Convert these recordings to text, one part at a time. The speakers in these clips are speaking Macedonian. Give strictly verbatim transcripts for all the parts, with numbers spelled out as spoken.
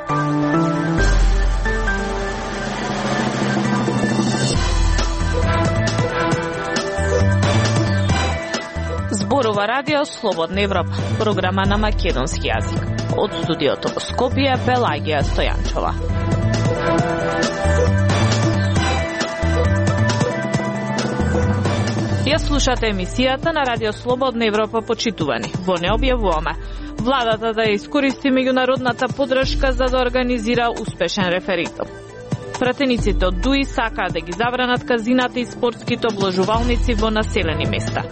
Зборува Радио Слободна Европа, програма на македонски јазик. Од студиото во Скопје, Пелагија Стојанчова. Ја слушате емисијата на Радио Слободна Европа, почитувани. Во не објавуваме владата да ја искористи меѓународната поддршка за да организира успешен референдум. Пратениците од ДУИ сакаат да ги забранат казината и спортските обложувалници во населени места.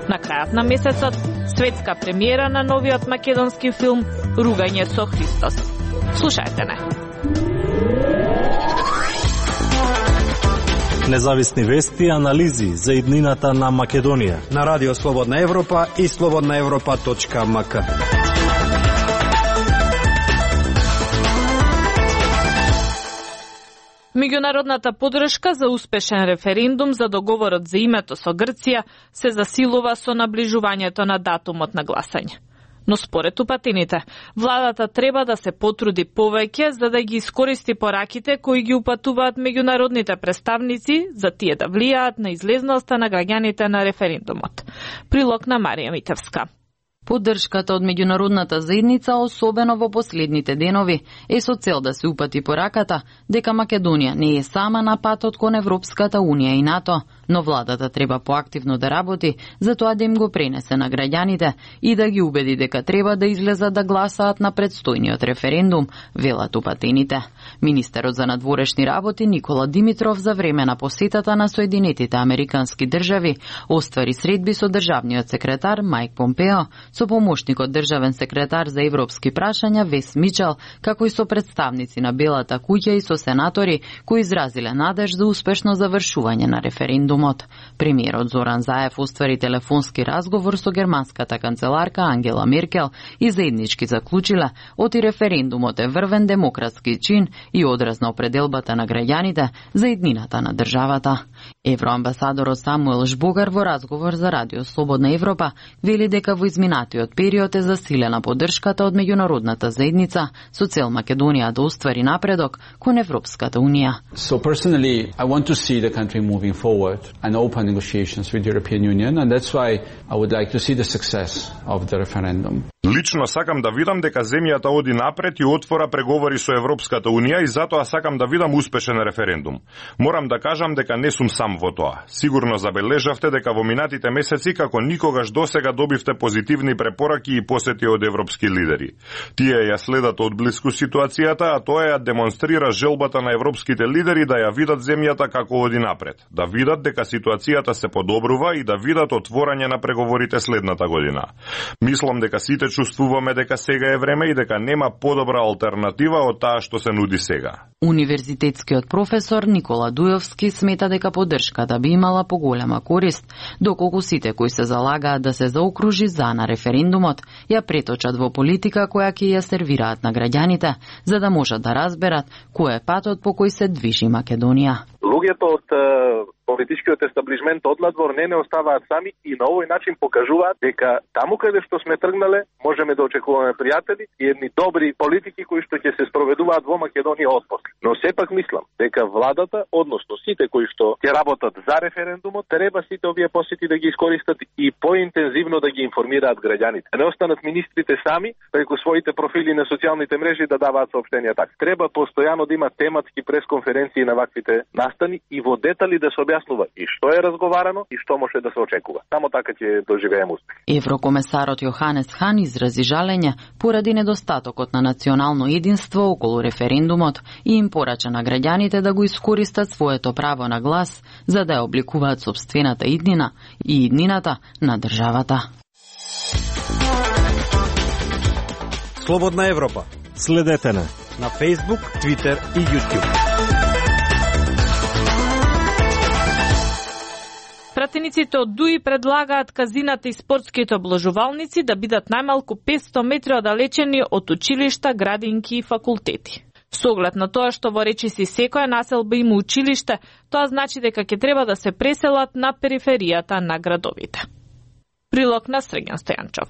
На крајот на месецот, светска премиера на новиот македонски филм Ругање со Христос. Слушајте не. Независни вести и анализи за иднината на Македонија на Радио Слободна Европа и слободна европа точка ем ка. Меѓународната поддршка за успешен референдум за договорот за името со Грција се засилува со наближувањето на датумот на гласање. Но според упатените, владата треба да се потруди повеќе за да ги искористи пораките кои ги упатуваат меѓународните представници за тие да влијаат на излезноста на граѓаните на референдумот. Прилог на Марија Митевска. Поддршката од меѓународната заедница, особено во последните денови, е со цел да се упати пораката дека Македонија не е сама на патот кон Европската Унија и НАТО, но владата треба поактивно да работи за тоа да им го пренесе на граѓаните и да ги убеди дека треба да излезат да гласаат на предстојниот референдум, велат упатените. Министерот за надворешни работи Никола Димитров за време на посетата на Соединетите Американски држави оствари средби со државниот секретар Мајк Помпео, со помошникот државен секретар за европски прашања Вес Мичел, како и со представници на Белата куќа и со сенатори кои изразиле надеж за успешно завршување на референдумот. Премиерот Зоран Заев оствари телефонски разговор со германската канцеларка Ангела Меркел и заеднички заклучиле оти референдумот е врвен демократски чин и одраз на определбата на граѓаните за иднината на државата. Евроамбасадорот Самуел Жбогар во разговор за Радио Слободна Европа вели дека во изминатиот период е засилена поддршката од меѓународната заедница со цел Македонија да оствари напредок кон Европската Унија. So personally, I want to see the country moving forward and open negotiations with the European Union, and that's why I would like to see the success of the referendum. Лично сакам да видам дека земјата оди напред и отвора преговори со Европската Унија и затоа сакам да видам успешен референдум. Морам да кажам дека не сум сам во тоа. Сигурно забележавте дека во минатите месеци како никогаш досега добивте позитивни препораки и посети од европски лидери. Тие ја следат од блиску ситуацијата, а тоа ја демонстрира желбата на европските лидери да ја видат земјата како оди напред, да видат дека ситуацијата се подобрува и да видат отворање на преговорите следната година. Мислам дека сите чувствуваме дека сега е време и дека нема подобра алтернатива од таа што се нуди сега. Универзитетскиот професор Никола Дујовски смета дека поддршката би имала поголема корист, доколку сите кои се залагаат да се заокружи за на референдумот ја преточат во политика која ќе ја сервираат на граѓаните, за да можат да разберат кој е патот по кој се движи Македонија. Луѓето од политичкиот естаблишмент од надвор не не оставаат сами и на овој начин покажуваат дека таму каде што сме тргнале можеме да очекуваме пријатели и едни добри политики кои што ќе се спроведуваат во Македонија отпосле. Но сепак мислам дека владата, односно сите кои што ќе работат за референдумот, треба сите овие посети да ги искористат и поинтензивно да ги информираат граѓаните. Не останат министрите сами преку своите профили на социјалните мрежи да даваат соопштенија така. Треба постојано да има тематски пресконференции на ваквите настани и во детали да се објаснува и што е разговарано и што може да се очекува. Само така ќе доживееме успех. Еврокомесарот Јоханес Хан изрази жалење поради недостатокот на национално единство околу референдумот и им порача на граѓаните да го искористат своето право на глас за да ја обликуваат сопствената иднина и иднината на државата. Слободна Европа. Следете на на Facebook, Twitter и YouTube. Пратениците од ДУИ предлагаат казината и спортските обложувалници да бидат најмалку петсто метри оддалечени од училишта, градинки и факултети. Со оглед на тоа што во речиси секоја населба има училиште, тоа значи дека ќе треба да се преселат на периферијата на градовите. Прилог на Срѓан Стојанчов.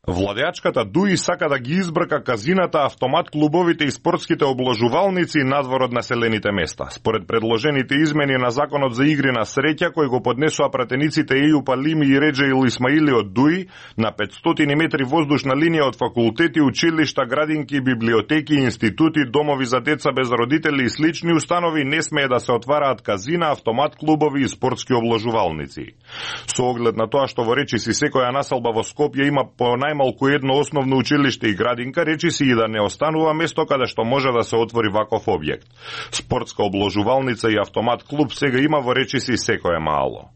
Владеачката ДУИ сака да ги избрка казината, автомат клубовите и спортските обложувалници надвор од населените места. Според предложените измени на Законот за игри на среќа, кој го поднесува пратениците Ејуп Алими и Реџеил Исмаили од ДУИ, на петстотини метри воздушна линија од факултети, училишта, градинки, библиотеки, институти, домови за деца без родители и слични установи не смее да се отвараат казина, автомат клубови и спортски обложувалници. Со оглед на тоа што во речиси секоја населба во Скопје има по најмалку едно основно училиште и градинка, речиси и да не останува место каде што може да се отвори ваков објект. Спортска обложувалница и автомат клуб сега има во речиси секое мало.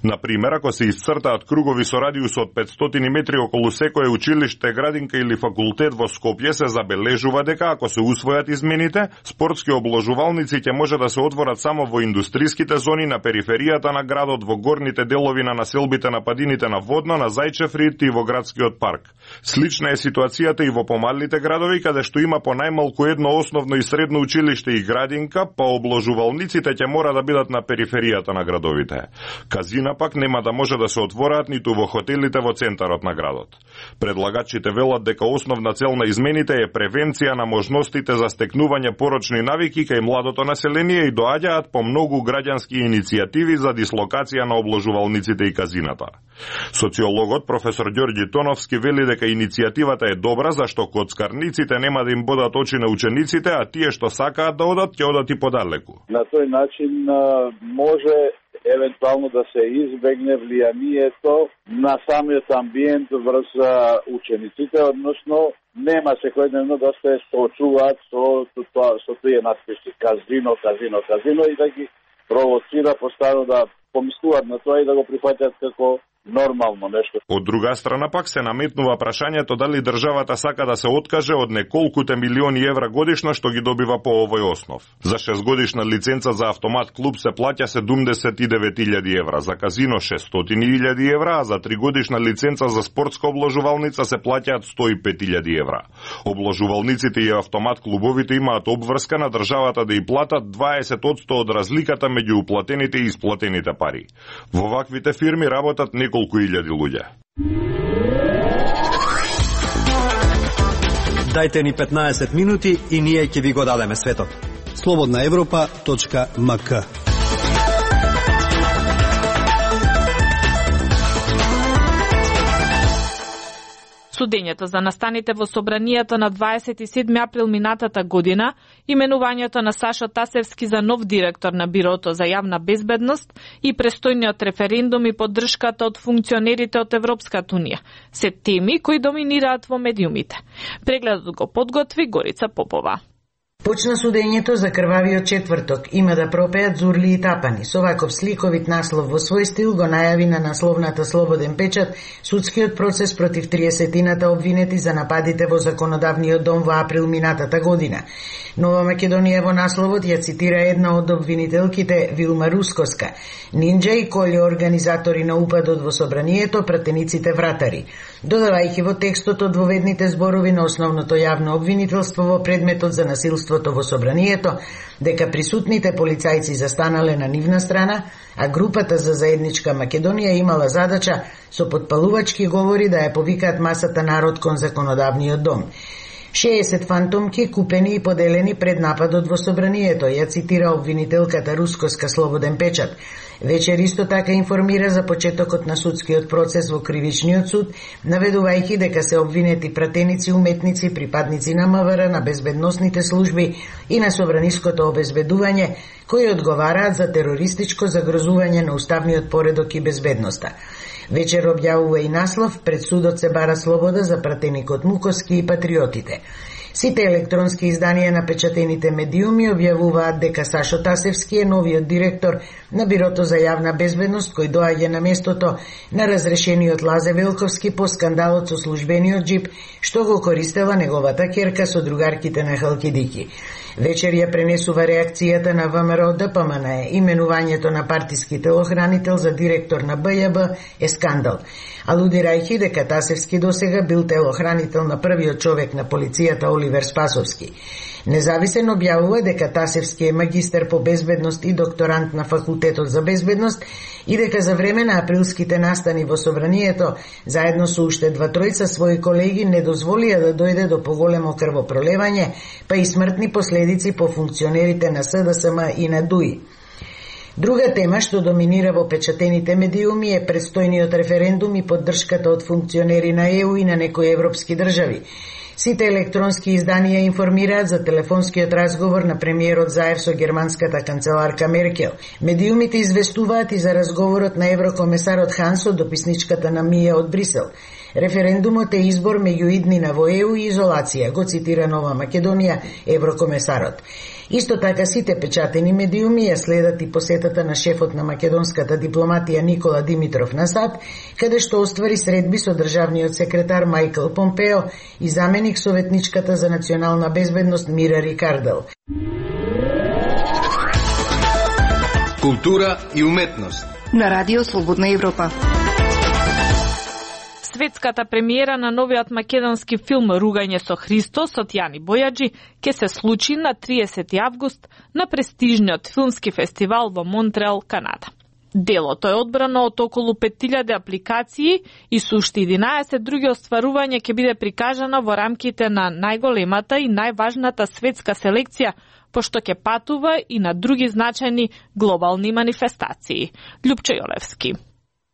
Например, ако се исцртаат кругови со радиус од петстотини метри околу секое училиште, градинка или факултет во Скопје, се забележува дека ако се усвојат измените, спортски обложувалници ќе може да се отворат само во индустриските зони на периферијата на градот, во горните делови на населбите на падините на Водно, на Зајчев рид и во градскиот парк. Слична е ситуацијата и во помалите градови, каде што има по најмалку едно основно и средно училиште и градинка, па обложувалниците ќе мора да бидат на периферијата на градовите. Казина пак нема да може да се отвораат ниту во хотелите во центарот на градот. Предлагачите велат дека основна цел на измените е превенција на можностите за стекнување порочни навики кај младото население и доаѓаат по многу граѓански иницијативи за дислокација на обложувалниците и казината. Социологот професор Ѓорѓи Тоновски вели дека иницијативата е добра зашто коцкарниците нема да им бодат очи на учениците, а тие што сакаат да одат ќе одат и подалеку. На тој начин може евентуално да се избегне влијанието на самиот амбиент врз учениците, односно нема секојдневно да се соочуваат со, со, со тие надписи казино, казино, казино и да ги провоцира постојано да помислуваат на тоа и да го прифаќаат како нормално нешто. Од друга страна пак се наметнува прашањето дали државата сака да се откаже од неколкуте милиони евра годишно што ги добива по овој основ. За шестгодишна лиценца за автомат клуб се плаќа седумдесет и девет илјади евра, за казино шестстотини илјади евра, а за тригодишна лиценца за спортска обложувалница се плаќаат сто и пет илјади евра. Обложувалниците и автомат клубовите имаат обврска на државата да и платат дваесет одсто од разликата меѓу уплатените и исплатените пари. Во ваквите фирми работат неколку колку илјади луѓе. Дајте ни петнаесет минути и ние ќе ви го дадеме светот. слободна европа точка ем ка. Судењето за настаните во собранието на дваесет и седми април минатата година, именувањето на Сашо Тасевски за нов директор на Бирото за јавна безбедност и престојниот референдум и поддршката од функционерите од Европската унија се теми кои доминираат во медиумите. Прегледот го подготви Горица Попова. Почна судењето за крвавиот четврток. Има да пропеат зурли и тапани. Со ваков сликовит наслов во свој стил го најави на насловната Слободен печат судскиот процес против триесетината обвинети за нападите во законодавниот дом во април минатата година. Нова Македонија во насловот ја цитира една од обвинителките, Вилма Рускоска. Нинџа и Колје организатори на упадот во собранието, пратениците вратари. Додавајќи во текстот одвоведните зборови на основното јавно обвинителство во предметот за насилството во собранието, дека присутните полицајци застанале на нивна страна, а групата за заедничка Македонија имала задача со потпалувачки говори да ја повикаат масата народ кон законодавниот дом. шеесет фантомки купени и поделени пред нападот во собранието, ја цитира обвинителката Рускоска Слободен печат. Вечер исто така информира за почетокот на судскиот процес во Кривичниот суд, наведувајќи дека се обвинети пратеници, уметници, припадници на МВР, на безбедносните служби и на собраниското обезбедување, кои одговараат за терористичко загрозување на уставниот поредок и безбедноста. Вечер објавува и наслов "Пред судот се бара слобода за пратеникот Мукоски и патриотите". Сите електронски изданија на печатените медиуми објавуваат дека Сашо Тасевски е новиот директор на Бирото за јавна безбедност, кој доаѓа на местото на разрешениот Лазе Велковски по скандалот со службениот џип, што го користела неговата ќерка со другарките на Халкидики. Вечер ја пренесува реакцијата на ВМРО Д П М Н Е. Именувањето на партиски телохранител за директор на Б Ј Б е скандал. Алудирајќи дека Тасевски досега бил телохранител на првиот човек на полицијата Оливер Спасовски. Независен објавува дека Тасевски е магистер по безбедност и докторант на Факултетот за безбедност и дека за време на априлските настани во собранието, заедно со уште два тројца своји колеги не дозволија да дојде до поголемо крвопролевање, па и смртни последици по функционерите на С Д С М и на ДУИ. Друга тема што доминира во печатените медиуми е предстојниот референдум и поддршката од функционери на Е У и на некои европски држави. Сите електронски изданија информираат за телефонскиот разговор на премиерот Заев со германската канцеларка Меркел. Медиумите известуваат и за разговорот на еврокомесарот Хан со дописничката на Мија од Брисел. Референдумот е избор меѓу иднина во Е У и изолација, го цитира Нова Македонија еврокомесарот. Исто така сите печатени медиуми ја следат и посетата на шефот на македонската дипломатија Никола Димитров на САД, каде што оствари средби со државниот секретар Мајкл Помпео и заменик советничката за национална безбедност Мира Рикардел. Култура и уметност на Радио Слободна Европа. Светската премиера на новиот македонски филм Ругање со Христос од Јани Бојаджи ќе се случи на триесети август на престижниот филмски фестивал во Монтреал, Канада. Делото е одбрано од околу пет илјади апликации и со уште единаесет други остварувања ќе биде прикажано во рамките на најголемата и најважната светска селекција, пошто ќе патува и на други значајни глобални манифестации. Љупчо Јолевски.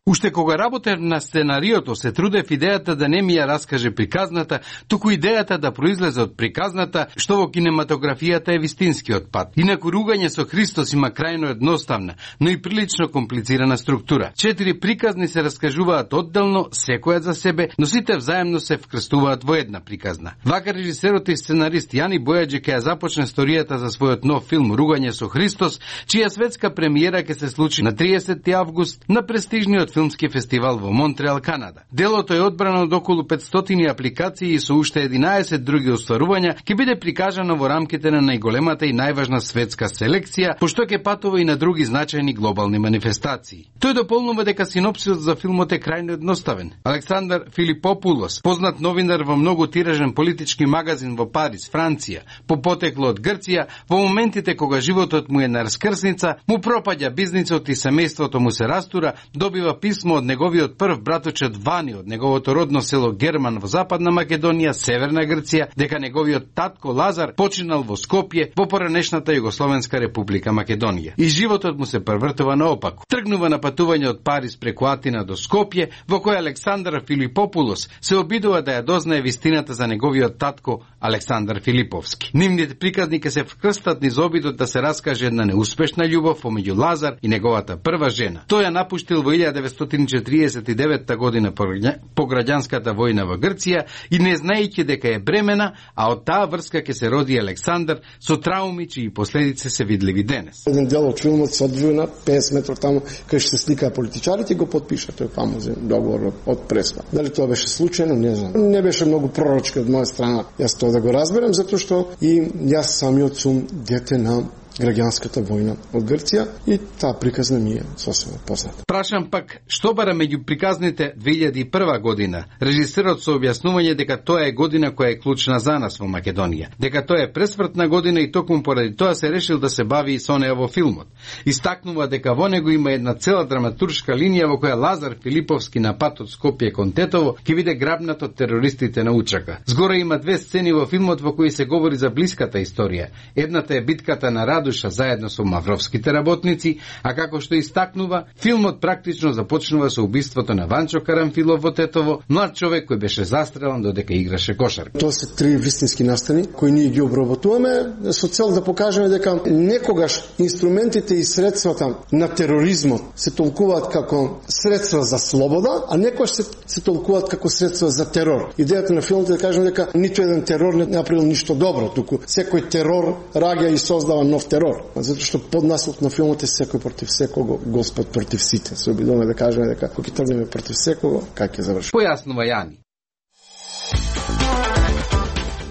Уште кога работев на сценариото, се трудев идејата да не ми ја раскаже приказната, туку идејата да произлезе од приказната, што во кинематографијата е вистинскиот пат. Инаку Ругање со Христос има крајно едноставна, но и прилично комплицирана структура. Четири приказни се раскажуваат одделно, секоја за себе, но сите взаемно се вкрстуваат во една приказна. Вака режисерот и сценарист Јани Бојаджи ќе ја започне сторијата за својот нов филм Ругање со Христос, чија светска премиера ќе се случи на триесети август на престижниот филмски фестивал во Монтреал, Канада. Делото е одбрано од околу петстотини апликации и со уште единаесет други остварувања ќе биде прикажано во рамките на најголемата и најважна светска селекција, пошто ќе патува и на други значајни глобални манифестации. Тој дополнува дека синопсисот за филмот е крајно едноставен. Александар Филипопулос, познат новинар во многу тиражен политички магазин во Париз, Франција, по потекло од Грција, во моментите кога животот му е на раскрсница, му пропаѓа бизнисот и семејството му се растура, добива писмо од неговиот прв браточет Вани од неговото родно село Герман во Западна Македонија, Северна Грција, дека неговиот татко Лазар починал во Скопје во поранешната Југословенска република Македонија. И животот му се превртува наопаку. Тргнува на патување од Париз преку Атина до Скопје, во кој Александар Филипопулос се обидува да ја дознае вистината за неговиот татко Александар Филиповски. Нивните приказни ќе се вкрстат низ обидот да се раскаже една неуспешна љубов помеѓу Лазар и неговата прва жена. Тој ја напуштил во илјада деветстотини четириесет и девета година по граѓанската војна во Грција и не знаејќи дека е бремена, а од таа врска ќе се роди Александар со трауми чии последици се видливи денес. Еден дел од филмот се одржува на петдесет метров таму кај што се сликаа политичарите и го потпиша тој фамозен договор од Преспа. Дали тоа беше случајно, не знам. Не беше многу пророчки од моја страна јас тоа да го разберам, затоа што и јас самиот сум дете на граѓанската војна од Грција и таа приказна ми е сосема позната. Прашам пак, што бара меѓу приказните две илјади и прва година? Режисерот со објаснување дека тоа е година која е клучна за нас во Македонија, дека тоа е пресвртна година и токму поради тоа се решил да се бави и со неа во филмот. Истакнува дека во него има една цела драматуршка линија во која Лазар Филиповски на пат од Скопје кон Тетово ќе биде грабнат од терористите на Учака. Згоре има две сцени во филмот во кои се говори за блиската историја. Едната е битката на Радуша заедно со мавровските работници, а како што истакнува, филмот практично започнува со убиството на Ванчо Карамфилов во Тетово, млад човек кој беше застрелан додека играше кошарка. Тоа се три вистински настани кои ние ги обработуваме со цел да покажеме дека некогаш инструментите и средствата на тероризмот се толкуваат како средства за слобода, а некогаш се, се толкуваат како средства за терор. Идејата на филмот е да кажеме дека ниту еден терор не направил ништо добро, туку секој терор раѓа и создава нов терор. Затоа што поднаслов на филмот е секој против секого, Господ против сите. Се обидуваме да кажеме дека кога ќе тргнеме против секого, как ќе заврши. Појаснува Јани.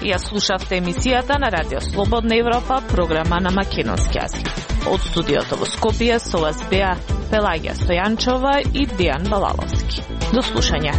Ја слушавте емисијата на Радио Слободна Европа, програма на македонски јазик. Од студиото во Скопје со вас беа Пелагија Стојанчова и Дејан Балаловски. До слушање.